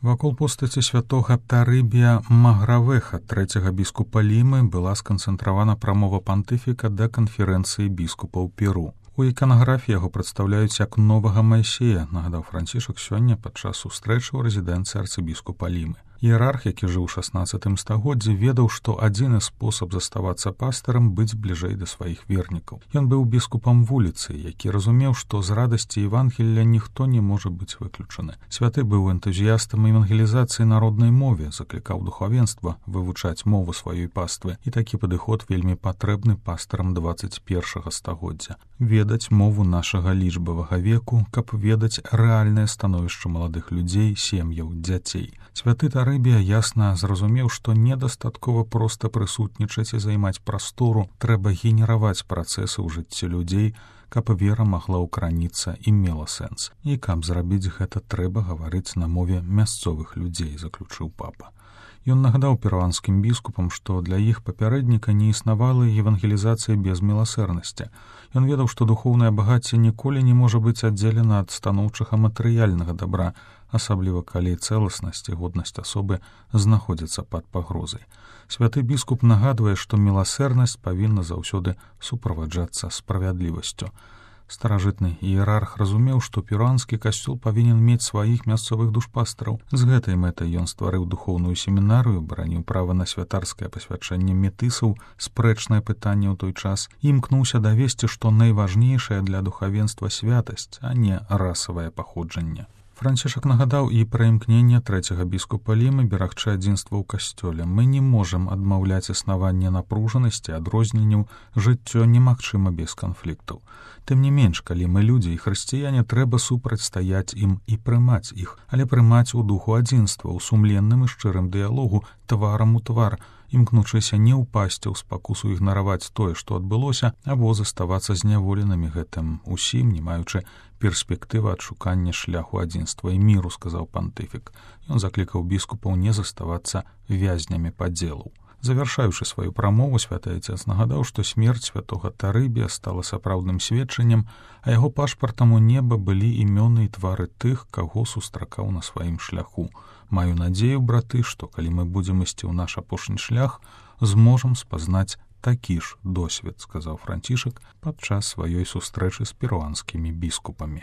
Вакол постаці святога Тарыбія Магравеха, трэцяга біскупа Лімы, была сканцэнтравана прамова пантыфіка да канферэнцыі біскупаў Перу. У іканаграфіі яго прадстаўляюць як новага Майсея, нагадаў Францішак сёння падчас сустрэчы ў рэзідэнцыі арцыбіскупа Лімы. Іерарх, які жыў у 16 стагоддзі, ведаў, што адзіны спосаб заставацца пастарам быць бліжэй да сваіх вернікаў. Ён быў біскупам вуліцы, які разумеў, што з радасці Евангелля ніхто не можа быць выключаны. Святы быў энтузіястам евангелізацыі народнай мове, заклікаў духавенства вывучаць мову сваёй паствы, і такі падыход вельмі патрэбны пастарам 21 стагоддзя. Ведаць мову нашага лічбавага веку, каб ведаць рэальнае становішча маладых людзей, сем'яў, дзяцей. Святы Тарыбія ясна зразумеў, што недастаткова проста прысутнічаць і займаць прастору, трэба генераваць працэсы ў жыцці людзей, каб вера магла ўкараніцца і мела сэнс. І каб зрабіць гэта, трэба гаварыць на мове мясцовых людзей, заключыў папа. Ён нагадаў перуанскім біскупам, што для іх папярэдніка не існавала евангелізацыя без міласэрнасці. Ён ведаў, што духоўнае багацце ніколі не можа быць аддзелена ад станоўчага матэрыяльнага дабра, асабліва калі цэласнасць і годнасць асобы знаходзяцца пад пагрозай. Святы біскуп нагадвае, што міласэрнасць павінна заўсёды суправаджацца справядлівасцю. Старажытны іерарх разумеў, што перуанскі касцёл павінен мець сваіх мясцовых душпастараў. З гэтай мэтай ён стварыў духоўную семінарыю, бараніў права на святарскае пасвячэнне метысаў, спрэчнае пытанне ў той час, і імкнуўся давесці, што найважнейшае для духавенства святасць, а не расавае паходжанне. Францішак нагадаў і пра імкненне трэцяга біскупа Лімы берагчы адзінства ў касцёле. Мы не можам адмаўляць існаванне напружанасці, адрозненняў, жыццё немагчыма без канфліктаў. Тым не менш, калі мы людзі і хрысціяне, трэба супрацьстаяць ім і прымаць іх, але прымаць у духу адзінства, у сумленным і шчырым дыялогу, тварам у твар, імкнучыся не ўпасці ў спакусу ігнараваць тое, што адбылося, або заставацца зняволенымі гэтым усім, не маючы перспектывы адшукання шляху адзінства і міру, сказаў пантыфік. Ён заклікаў біскупаў не заставацца вязнямі падзелаў. Завяршаючы сваю прамову, святы Отец нагадаў, што смерць святога Тарыбія стала сапраўдным сведчаннем, а яго пашпартам у неба былі імёны і твары тых, каго сустракаў на сваім шляху. Маю надзею, браты, што калі мы будзем ісці ў наш апошні шлях, зможам спазнаць такі ж досвед, сказаў Францішак падчас сваёй сустрэчы з перуанскімі біскупамі.